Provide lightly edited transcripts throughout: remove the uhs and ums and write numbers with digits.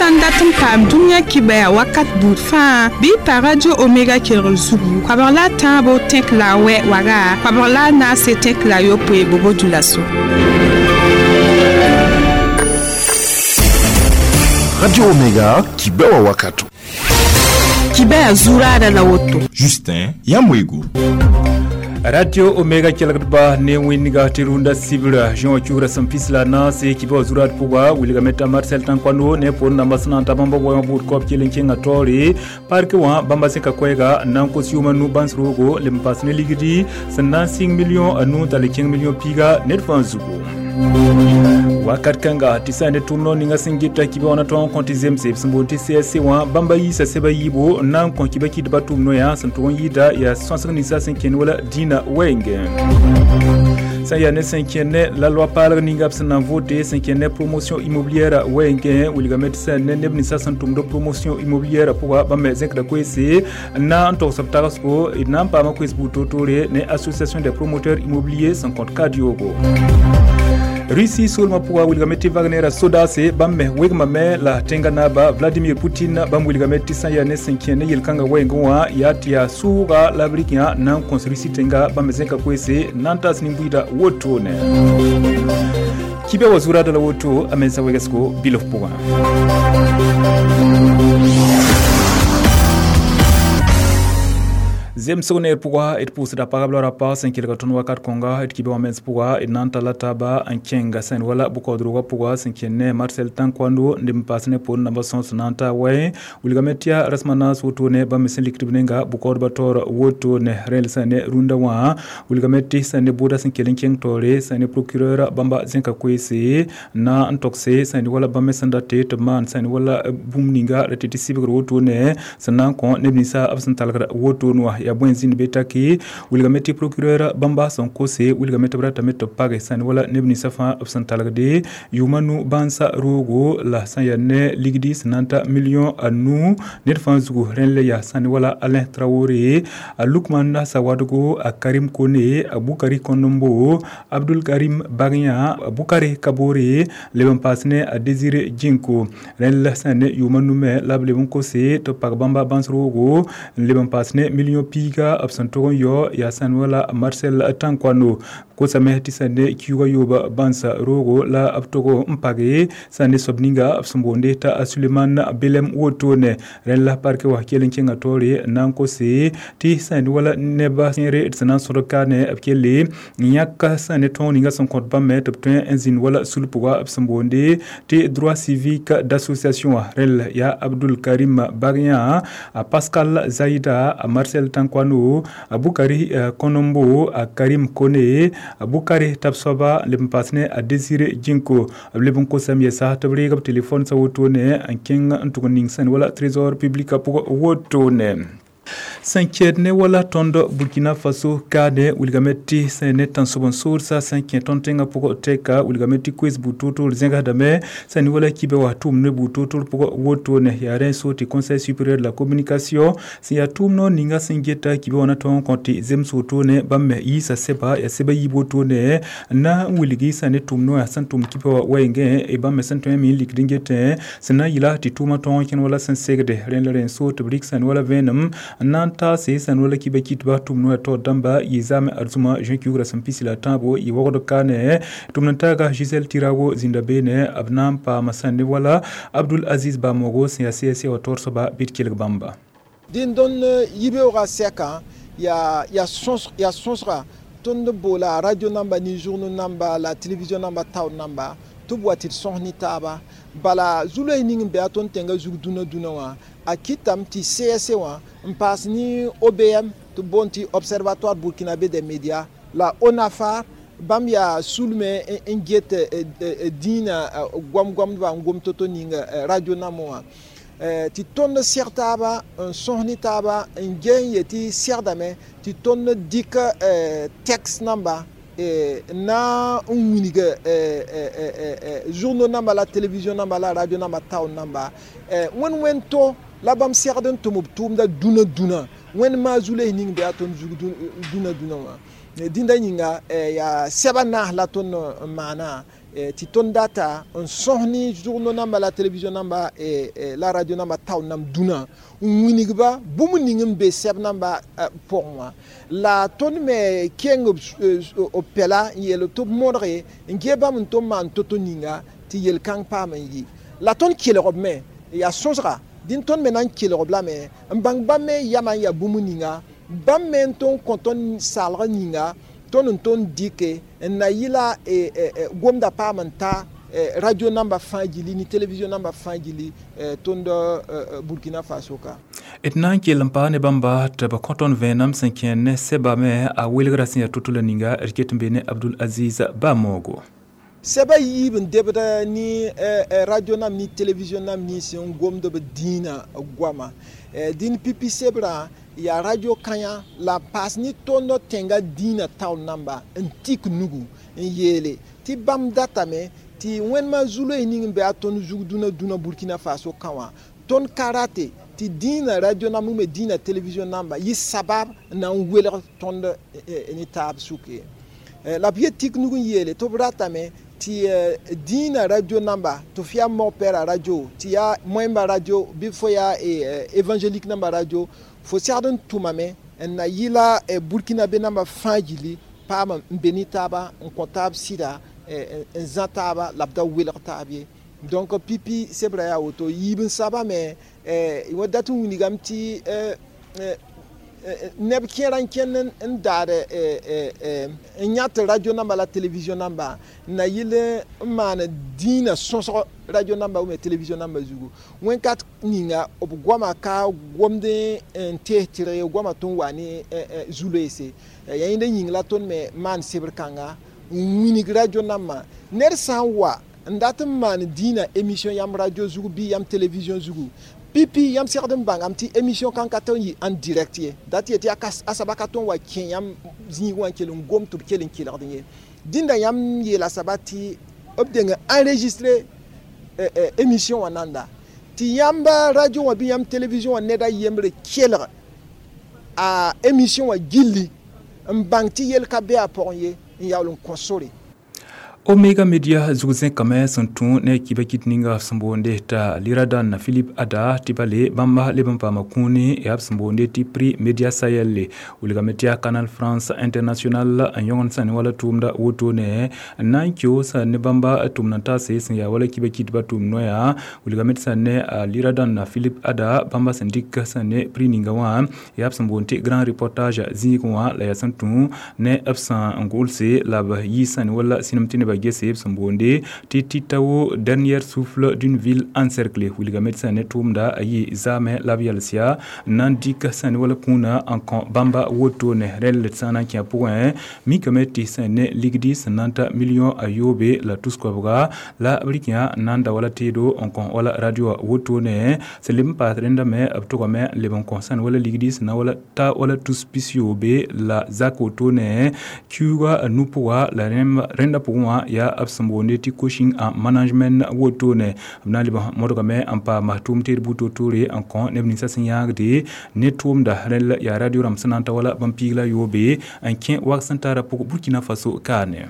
Sã n dat n paam dũniyã kibɛa wakat buud fãa bɩ y pa Radio Omega kelgr zugu koabg la a tãabo tẽk la a wɛ waga koabg la a naase tẽk la a yopoe bobo dulaso. Radio Omega, kibɛwa wakato. Kibɛa zuraada la woto. Justin Yamwego. Radio Omega kelgdba ne wẽnega tɩ rũndã sibra zõ cugra sẽn pis la naase kɩ wa zurad pʋga wilgame t'a Marcel Tankoano ne pʋʋr namba sẽn na n ta bãmba wã buud kaob kell n kẽnga taoore parke wã bãmba sẽka koɛɛga n na n kos yʋʋma nu bãns roogo leb n paas ne ligdi sẽn na n sɩng million a nuu tall kẽng million piiga ned fãa zugu. Wakat kãnga tɩ sã n ne tʋʋm noor ninga sẽn geta kibã wã na tõog n kõ tɩ zemse b sẽn boond tɩ CSC wã bãmba yiisa sɛba yiibo n na n kõ kibã kɩdbã tʋʋm noyã sẽn tʋg n yɩɩda yaa sõsg ninsã sẽn kẽnd wala dĩinã wɛɛngẽ. Sã n yaa ne sẽn kẽnd la loa paalg ninga b sẽn na n vote sẽn kẽnd ne promotion immobilière wɛɛngẽ wilgame tɩ sã n ne neb ninsã sẽn tʋmd promotion immobilière pʋga bãmb me zẽkda koeese n na n togs b tagsgo d na n paama koees buud toor-toore ne Association des promoteurs immobiliers sẽn kõt kad yoogo. Russie soolmã pʋga wilgame tɩ Wagner sodaase bãmb me wegmame la tẽngã naaba Vladimir Putin bãmb wilgame tɩ sã n yaa ne sẽn kẽ ne yel-kãngã wɛɛngẽ wã yaa tɩ yaa sʋʋga la b rɩk yã na n kõs Russie tẽnga bãmb me zẽka koeese na n taas nin-buiida wotone. Kibɛ wa zuraada la woto a mensa wegsgo bilf pʋgã. Zemsg neer pʋga d pʋʋsda pagb la rapa sẽn kelga tõnd wakat kõnga d kibã wã mens pʋga d na n talla taaba n kẽnga sẽn wala bʋkaood-rogã pʋga sẽn kẽnd ne Marcel Tankoando n n paas ne poor namba sõs na n ta wɛ wilgame tɩ yaa rasem a naas wotone bãmb me sẽn likd b nenga bʋkaoodbã taoor wotone rẽl sã ne rũndã wã wilgame tɩ sã ne bʋʋda sẽn kell n kẽng taoore sã ne procureur bãmba zẽka koeese na n togse sã ne wala bãmb me sẽn date tɩ b maan sã ne wala bũmb ninga ra tɩ tɩ sɩbgr wotone sẽn na n kõ neb ninsã b sẽn talgd wotone wã yaa bõe zĩnd be taki wilgame tɩ procureur bãmba sẽn kose wilgame tɩ b ratame tɩ b page sã ne wala neb ninsã fãa b sẽn talgde yʋʋma nu bãnsa roogo la sã n yaa ne ligdi sẽn na n ta million a nu ned fãa zugu rẽnd le yaa sã ne wala Alain Traoré a Lukman Sawadogo a Karim Kone a Bukari Kondombo Abdul Karim Bagnya a Bukari Kabore leb n paas ne a Désiré Djinko rẽnd la sã ne yʋʋma nu me la b leb n kose tɩ b pag bãmba bãns roogo n leb n paas ne million piiga b sẽn tʋg n yao yaa sã n wala Marcel Tankoano kosame tɩ sã ne kiuugã yooba bãnsa roogo la b tʋg n page sã ne soab ninga b sẽn boonde t'a Suleiman Belem wotone rẽnd la parke wã kell n kẽnga taoore n na n kose tɩ sã ne wala neba sẽere d sẽn na n sõdg kaane b kelle n yãk sã ne tõog ninga sẽn kõt bãmb me tɩ b tõe n zĩnd wala sul pʋga b sẽn boonde tɩ droit civique d'association wã rẽnd yaa Abdul Karim Bagnya a Pascal Zaida a Marcel Tankoano a Bukari Konombo a Karim Kone a Bukari Tabsoba leb n paas ne a Désiré Djinko b leb n kosame yɛsa tɩ b reeg b telefon sã wotone n kẽng n tʋg n ning sẽn wala trésor public pʋgã wotone. Sẽn kɛɛd ne wala tõnd Burkina Faso kaane wilgame tɩ sẽn ne tãnsoab n soodsa sẽn kẽ tõnd tẽngã pʋgã tɛka wilgame tɩ koees buud toor-toor zẽgsdame sã ne wala kibã wã tʋʋm ne buud toor-toor pʋgã wotone yaa rẽ so tɩ Conseil supérieur de la communication sẽn yaa tʋʋm noor ninga sẽn geta kibã wã na tõog n kõ tɩ zems wotone bãmb me yiisa sɛba yaa sɛba yiib wotone n na n wilgi sã ne tʋʋm noyã sẽn tʋm kibã wã wɛɛngẽ bãmb me sẽn tõe n me n likd n getẽ sẽn na n yɩla tɩ tʋʋmã tõog n kẽnd wala sẽn segde rẽnd la rẽ so tɩ b rɩk sã ne wala vẽenem n na n taase sã n wala kibã kɩtba tʋʋm noyã taoor dãmba yɩ zaame arzũma juin kiugrã sẽn pis la tãabo yɩ wogd kaane tʋmd n taaga Gisèle Tirago zĩnda beene b na n paama sã ne wala Abdul Aziz Bamogo sẽn yaa CSC wã taoor soaba bɩ d kelg bãmba. Dĩn-dõnd yibeoogã sɛkã yaa sõsga tõnd boola radio namba ne journaux namba la télévision namba taoor namba tɩ b wa tɩ d sõs ne taaba bala zu-loees ning n bɩ a tõnd tẽngã zug dũnã dũnã wã a kɩtame tɩ CSC wã n paas ne OBM tɩ b boond tɩ Observatoire burkinabé des médias la ONAFAR bãmb yaa sulme n get dĩinã goam-goamdba n gom to-to ning radio nambã wã tɩ tõnd seg taaba n sõs ne taaba n ge n yetɩ segdame tɩ tõnd dɩk texte namba na n wilg journaux namba la télévision namba la radio namba taoor namba wẽnd wẽnd to la bãmb segd n tʋm b tʋʋmda dũnã dũnã wẽnd maa zu-loees ning bɩ a tõnd zug dũnã dũnã wã. Dĩnda yĩnga yaa sɛba naas la tõnd n maana tɩ tõnd data n sõs ne journaux namba la télévision namba la radio namba taoor nam dũnã n wilgba bũmb ning n be sɛb namba pʋgẽ wã la tõnd me keng b pɛla n yeel tɩ b modge n gee bãmb n tʋm maan to-to ninga tɩ yel-kãng paam n yɩ la tõnd kelg b me yaa sõsga dĩn tõnd me na n kelg b lame n bãng bãmb me yamã n yaa bũmb ninga bãmb me n tõnd kõ tõnd saalg ninga tõnd n tõnd dɩke n na yɩla gomda paam n ta radio namba fãa gilli ne télévision namba fãa gilli tõnd Burkina Faso ka. D na n kell n paa ne bãmba tɩ b kõ tõnd vẽenem sẽn kẽer ne sɛba me a welgra sẽn yaa to-to la ninga d ket n be ne Abdul Aziz Bamogo. Sɛba yiib n debd ne radio nam ne télévision nam nins n gomd b dĩinã goama dĩn pipi sebrã yaa radio kãyã la n paas ne tõnd tẽnga dĩinã taoor namba n tik nugu n yeele tɩ bãmb datame tɩ wẽnema zu-loees ning n be a tõnd zug dũnã dũnã Burkina Faso kã wã tõnd ka rate tɩ dĩinã radio namba me dĩinã télévision namba yɩ sabab n na n welg tõnd ne taab sʋk ye la b yet tik nug n yeele tɩ b ratame tɩ dĩinã radio namba tɩ f yaa mog-pɛɛra radio tɩ yaa moẽmba radio bɩ fo yaa évangélique namba radio fo segd n tʋmame n na yɩla burkina be namba fãa gilli paam n be ne taaba n kõ taab sɩda n zã taaba la b da welg taab ye donc pipi sebra yaa woto yiib n saba me wã dat n wilgame tɩ neb kẽerã n kẽnd n daad n yãt radio namba la télévision namba n na yɩl n maan dĩinã sõsg radio namba ou télévision namba zugu wẽn-kat ninga b goama ka gomd n tees tɩrg ye goama tõnd wa ne zu-loeese yaa yẽnda yĩng la tõnd me maan sebr kãnga n wilg radio nambã ned sã n wa n dat n maan dĩinã émission yãmb radio zugu bɩ yãmb télévision zugu pipi yãmb segd n bãngame tɩ émission kãng ka tõe n yɩ en direct ye dat yet tɩ a saba ka tõe n wa kẽ yãmb zĩig wã n kell n gom tɩ b kell n kelgd ye dĩnda yãmb yeela saba tɩ b deng enregistré émission wã nanda tɩ yãmb radio wã bɩ yãmb télévision wã ned a yembre kelg a émission wã gilli n bãng tɩ yel ka be a pʋgẽ ye n yaool n kõ sore. Omega Media zug zẽkame sẽn tũ ne kiba kit ninga sẽn boonde t'a Liradan Philip Ada tɩ bale bãmba leb n paama kũuni yaa b sẽn boonde tɩ Prix Media Sahel wilgame tɩ yaa Canal France International n yõgend sã ne wala tʋʋmda wotone n na n keoosa ne bãmba tʋmd n taase sẽn yaa wala kiba kitba tʋʋm noya wilgame tɩ sã ne a Liradan Philip Ada bãmba sẽn dɩk sã ne prix ninga wã yaa b sẽn boond tɩ Grand Reportage zĩigẽ wã la yaa sẽn tũ ne b sẽn gʋlse la b yɩ sã ne wala sĩnem tɩ neba gese b sẽn boonde tɩ Titao, dernier souffle d'une ville encerclée wilgame tɩ sã ne tʋʋmda a yɩ zaamẽ la b yals yaa n na n dɩk sã ne wala kũunã n kõ bãmba wotone rẽl d sã n na n kẽ pʋgẽ mikame tɩ sã ne ligdi sẽn na n ta million a yoobe la tus-koabga la b rɩk yã n na n da wala teedo n kõ wala radio wã wotone sẽn leb n paas rẽndame b tʋgame n leb n kõ sã ne wala ligdi sẽn na wala ta wala tus pis-yoobe la zak wotone kiuuga nu pʋga la rẽndã pʋgẽ wã yaa b sẽn boonde tɩ coaching en management wotone b na n leb modgame n paama tʋʋm teed buud toor-toore n kõ neb ninsã sẽn yãagde ne tʋʋmda rẽl yaa radio rãmb sẽn na n ta wala bãmb piig la yoobe n kẽ wag sẽn tara pʋg Burkina Faso kaane.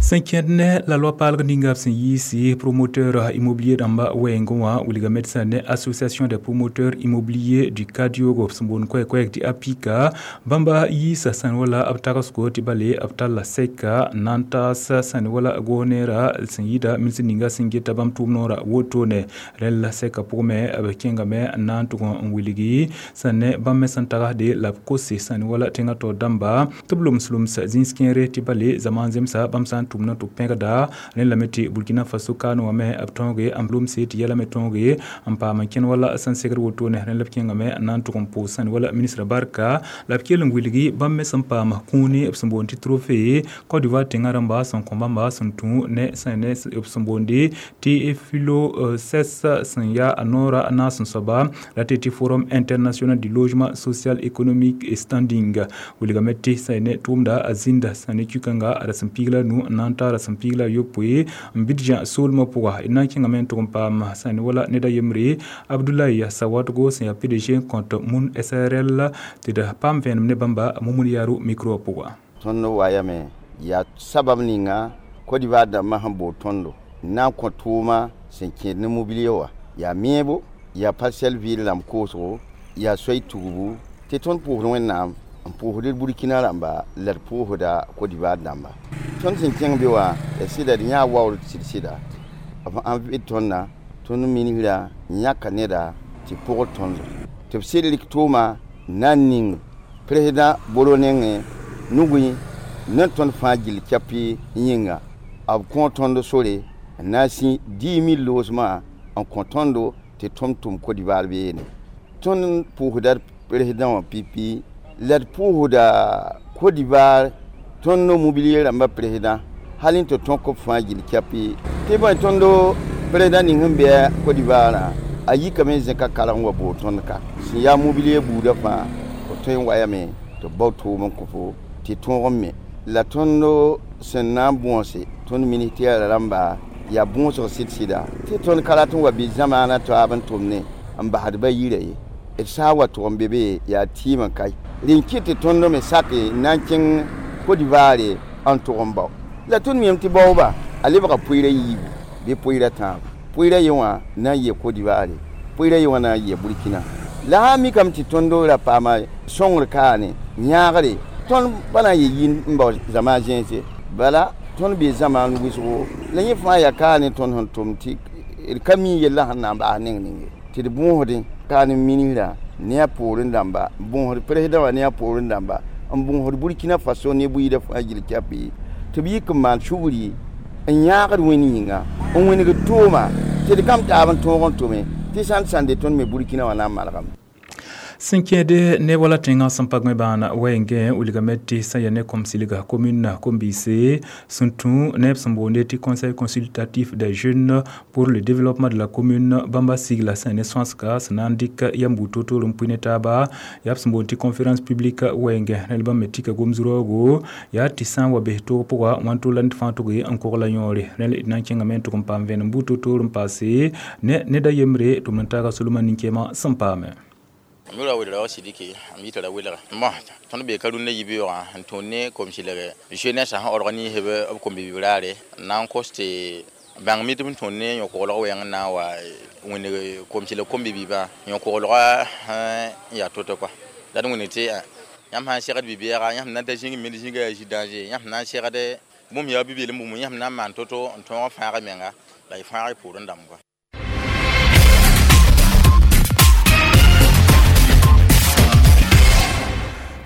Sẽn kẽed ne la loa-paalg ninga b sẽn yiisi promoteur immobilier rãmba wɛɛngẽ wã wilgame tɩ sã ne Association des promoteurs immobiliers du Kadiogo sẽn boond koɛɛ-koɛɛg tɩ APIKA bãmba yiisa sãn wala b tagsgo tɩ bale b talla sɛka n na n taas sãn wala goneera sẽn yɩɩda minis ninga sẽn geta bãmb tʋʋm noorã wotone rẽl sɛka pʋgẽ b kẽngame n na n tʋg n wilgi sãn ne bãmb me sẽn tagsde la b kose sãn wala tẽngã taoor dãmba tɩ b loms-loms zĩis kẽere tɩ bale zamaan zemsa bãmb sã n tʋm na tɩ b pẽgda rẽnd lame tɩ Burkina Faso kaane wã me b tõoge n lomse tɩ yɛla me tõoge n paam n kẽn wala sẽn segd wotone rẽnd la b kẽngame n na n tʋg n pʋʋs sãn wala ministra barka la b kell n wilgi bãmb me sẽn paam kũuni b sẽn boond tɩ trophée Côte d'Ivoire tẽngã rãmba sẽn kõ bãmba sẽn tũ ne sẽn ne b sẽn boonde tɩ philo ses sẽn yaa a noora a naas n soaba la tɩ tɩ Forum international du logement social économique et standing wilgame tɩ sẽn ne tʋʋmda a zĩnda sẽn ne kũkãnga a ra sẽn piig la nu n na na n taara sẽn piig la a yopoe n bɩd zã soolmã pʋga d na n kẽngame n tʋg n paam sẽn wala ned a yembre Abdoulaye Sawadogo sẽn yaa PDG n kõt Mun SARL tɩ d paam vẽenem ne bãmba Mumun Yaro micro pʋga. Tõnd wayame yaa sabab ninga Côte d'Ivoire dãmbã sẽn bool tõndo n na n kõ tʋʋma sẽn kẽed ne mobilier wã yaa meebo yaa parcelle vɩɩl rãmb koosgo yaa soay tugbu tɩ tõnd pʋʋsd Wẽnnaam n pʋʋsd Burkina rãmba la d pʋʋsda Côte d'Ivoire dãmba. Tõnd sẽn kẽng be wã ya sɩda d yãa waoor sɩd-sɩda b ãn vɩ tõnda tõnd ministra yãka neda tɩ pʋgd tõndo tɩ b sɩd rɩk tʋʋma na n ning président Boro nengẽ nugẽ ne tõnd fãa gill kɛpɩ yĩnga b kõ tõnd sore n na n sĩ 10 000 loosmã n kõ tõndo tɩ tõnd tʋm Côte d'Ivoire beene. Tõnd pʋʋsda président wã pipi la d pʋʋsda Côte d'Ivoire tõnd mobilier rãmbã président hal n tɩ tõk b fãa gill kɛpɩ tɩ bõe tõndo président ning sẽn bɩ Côte d'Ivoire a yikame n zẽka karg n wa bool tõnd ka sẽn yaa mobilier buudã fãa b tõe n wayame tɩ b bao tʋʋm n kõ fo tɩ tõog n me la tõnd sẽn na n bõose tõnd ministère rãmba yaa bõosg sɩd-sɩda tɩ tõnd ka rat n wa bɩ zamaana taab n tʋmne n basd ba yira ye d sã n wa tʋg n be be yaa tɩɩm n kae rẽn kɩt tɩ tõnd me sake n na n kẽng Côte d'Ivoire n tʋg n bao la tõnd miame tɩ baooba a lebga pʋɩɩra yiibu bɩ pʋɩɩra tãabo pʋɩɩra ye wã na n yɩ Côte d'Ivoire pʋɩɩra ye wã na n yɩ Burkina la sã n mikame tɩ tõnd ra paama sõngr kaane yãagre tõnd pa na n yɩ yĩn n bao zamaan zẽnse bala tõnd bee zamaan wʋsgo la yẽ fãa yaa kaane tõnd sẽn tʋm tɩ d ka mi yellã sẽn na n baas neng ninge tɩ d bõosdẽ kaane ministra ne a poorẽ dãmba n bõosd président wã ne a poorẽ dãmba n bõosd Burkina Faso ne buiidã fãa gill kɛpɩ tɩ b yik n maan sugri n yãagd wẽnd yĩnga n wẽnegd tʋʋma tɩ d kam taab n tõog n tʋme tɩ sãn sãnde tõnd me Burkina wã na n malgame. Sẽn kẽede ne wala tẽngã sẽn pag me bãana wɛɛngẽ wilgame tɩ sẽn ya ne kom-silga commune Kombise sẽn tũ neb sẽn boonde tɩ conseil consultatif des jeunes pour le développement de la commune bãmba sigla sẽn ne sõasga sẽn na n dɩk yam buud toor-toor n pʋɩ ne taaba yaa b sẽn boond tɩ conférence publique wɛɛngẽ rẽl bãmb me tika gom-zuroogo yaa tɩ sã n wa bes toog pʋga wãn-to la ned fãa tʋg n kogla yõore rẽl d na n kẽngame n tʋg n paam vẽenem buud toor-toor n paase ne ned a yembre tʋm n taaga Solomon nin-kẽemã sẽn paame. Mura welga sidiki am yitara welga mo tõnd be ka rũndã yibeoogã n tõnd ne kom-sɩlg jeunesse sẽn organise b kom-bi-bibraare n na n kos tɩ bãng mi tɩ b tõnd ne yõ-koglg wɛɛng n na n wa wẽneg kom-sɩlg kom-bi-biibã yõ-koglgã n yaa to-to kɔa la d wẽneg tɩ yãmb sã n segd bi-beɛga yãmb na n ta zĩig me zĩiga yaa zĩ danger yãmb na n segd bũmb yaa bi-beel n bũmb yãmb na n maan to-to n tõog n fãag y menga la y fãag y pʋʋrẽ dãmb kɔa.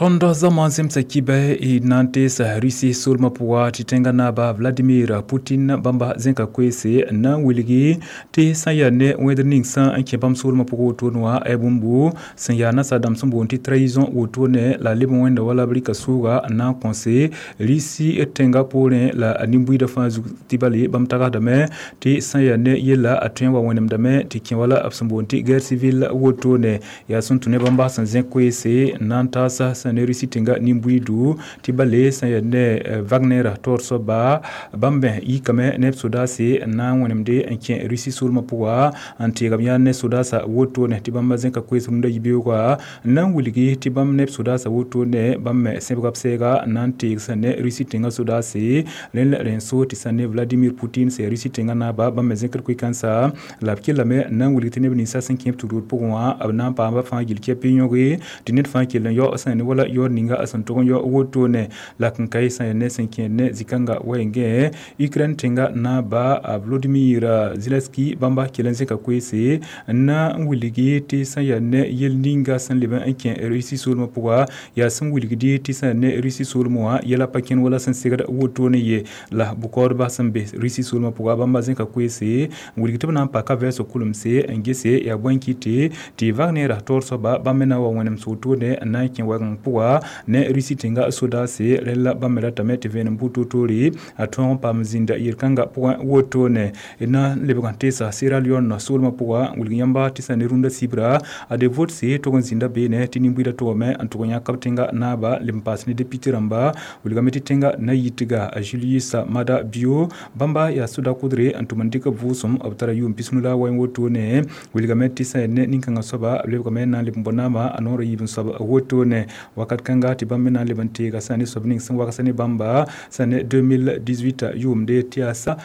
Tõnd zãma zemsa kibɛ y na n teesa Rusi soolmã pʋga tɩ tẽngã naaba Vladimir Putin bãmba zẽka koeese n na n wilgi tɩ sã n yaa ne wẽdr ning sã n kẽ bãmb soolmã pʋgã wotone wã ay bũmbu sẽn yaa nasaadãmb sẽn boond tɩ trahison wotone la leb n wẽnda wala b rɩka sʋʋga n na n kõse Rusi tẽngã poorẽ la a nin-buiidã fãa zug tɩ bale bãmb tagsdame tɩ sã n yaa ne yella a tõe n wa wẽnemdame tɩ kẽ wala b sẽn boond tɩ guerre civile wotone yaa sẽn tũ ne bãmba sẽn zẽk koeese n na n taasa sẽn ne Rusi tẽngã nin-buiidu tɩ bale sẽn yaa ne Wagner taoor soaba bãmb me yikame ne b sodaase n na n wẽnemde n kẽ Rusi soolmã pʋga n teegame yaa ne sodaasã wotone tɩ bãmba zẽka koees rũndã yibeoogã n na n wilgi tɩ bãmb ne b sodaasã wotone bãmb me sẽbga b sɛɛga n na n teeg sẽn ne Rusi tẽngã sodaase rẽnd rẽn so tɩ sẽn ne Vladimir Putin sẽn yaa Rusi tẽngã naaba bãmb me zẽkd koe-kãnsa la b kellame n na n wilg tɩ neb ninsã sẽn kẽ b tudgr pʋgẽ wã b na n paamba fãa gill kɛpɩ yõge tɩ ned fãa kell n yao sẽn ne wala yaoor ninga a sẽn tʋg n yao wotone la n ka sẽn yaa ne sẽn kẽed ne zĩ-kãnga wɛɛngẽ Ukraine tẽngã naaba Volodymyr Zelensky bãmba kell n zẽka koeese n na n wilgi tɩ sẽn yaa ne yel ninga sẽn leb n kẽ Rusi soolmã pʋga yaa sẽn wilgdi tɩ sẽn yaa ne Rusi soolmã wã yɛla pa kẽnd wala sẽn segd wotone ye la bʋkaoodba sẽn be Rusi soolmã pʋga bãmba zẽka koeese n wilg tɩ b na n paka vɛɛsg kulemse n gese yaa bõe n kɩte tɩ Wagner taoor soaba bãmb me na n wa wẽnem wotone n na n kẽ wɛgeng pʋga. pʋga ne Russie tẽnga sodaase rẽl la bãmb me ratame tɩ vẽenem bʋ toor-toore a tõog n paam zĩnda yel-kãngã pʋgẽ wotone. D na n lebg n teesa Sierra Leone soolmã pʋga n wilg yãmba tɩ sã ne rũndã sibra a de votse tog n zĩnda beene tɩ nin-buiidã togame n tʋg n yãk b tẽnga naaba leb n paas ne député rãmba wilgame tɩ tẽnga na-yitga Julius Maada Bio bãmba yaa soda kʋdre n tʋm n dɩk b vʋʋsem b tara yʋʋm 90 la wɛ wotone. Wilgame tɩ sã ne nin-kãngã soaba b lebgame n na n leb n bɔ naama a noorã yiib n soab wotone. Wakat kãnga tɩ bãmb me na n leb n teega sã ne soab ning sẽn wagsã ne bãmba sã ne 2018 yʋʋmde tɩ yaa sa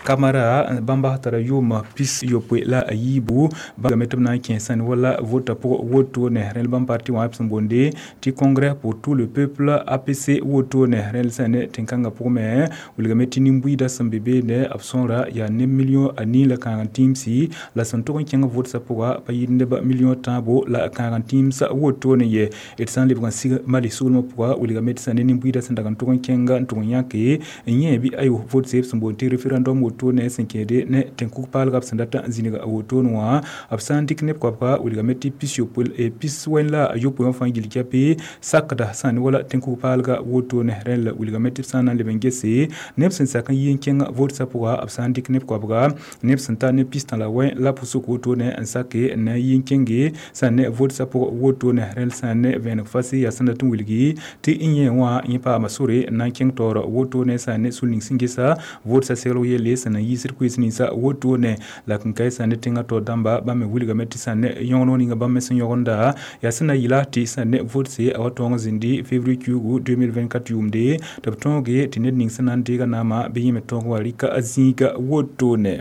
Kamara bãmba tara yʋʋm 63 bãmb tɩ b na n kẽ sã ne wala vota pʋgẽ wotone. Rẽl bãmb parti wã b sẽn boonde tɩ Congrès pour tout le peuple APC wotone. Rẽl sã ne tẽn-kãngã pʋgẽ me wilgame tɩ nin-buiidã sẽn be beene b sõora yaa neb million a nii la kãag n tĩimsi la sẽn tʋg n kẽng votsa pʋga pa yɩɩd neb million tãabo la kãag n tĩims wotone ye. D sã n lebg n sig Mali soolmã pʋga wilgame tɩ sã ne nin-buiidã sẽn dag n tʋg n kẽnga n tʋg n yãke n yẽ bɩ ayo votse b sẽn boond tɩ référendum wotone sẽn kẽede ne tẽn-kug paalga b sẽn dat n zĩnig wotone wã b sã n dɩk neb koabga wilgame tɩ 69 wã fãa gill kɛpɩ sakda sã ne wala tẽn-kug paalga wotone. Rẽl wilgame tɩ b sã n na n leb n gese neb sẽn sak n yi n kẽng votsa pʋga b sã n dɩk neb koabga neb sẽn ta ne pistã la wẽ la pʋsg wotone n sake n na n yi n kẽnge sã ne votsa pʋg wotone. Rẽl sã ne vẽeneg fase yaa sẽn dat n wilgi tɩ n yẽ wã yẽ paama sore n na n kẽng taoor wotone sã ne sul ning sẽn gesa votsa seglg yelle sẽn na n yiisd koees ninsã wotone. La kẽn-kae sã ne tẽngã taoor dãmba bãmb me wilgame tɩ sã ne yõgeneg ninga bãmb me sẽn yõgenda yaa sẽn na yɩla tɩ sã ne votse a wa tõog n zĩndi février kiuugu 2024 yʋʋmde tɩ b tõoge tɩ ned ning sẽn na n deega naamã bɩ yẽ me tõog wa rɩka a zĩiga wotone.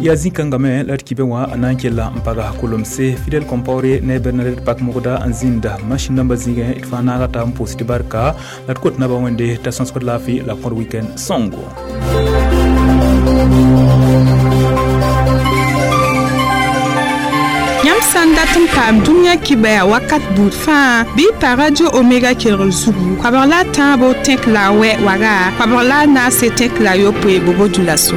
Yaa zĩ-kãngã me la d kibẽ wã a na n kella n paga kolomse Fidel Compaoré ne Bernadette Pak-Mogda n zĩnda machine namba zĩigẽ d fãa naaga taab n pʋʋs tɩ barka la d kot naba Wẽnde t'a sõsgd laafɩ la kõd weekend sõngo. Yãmb sã n dat n paam dũniyã kibɛa wakat buud fãa bɩ y pa Radio Omega kelgr zugu koabg la a tãabo tẽk la a wɛ waga koabg la a naase tẽk la a yopoe bobo dulaso.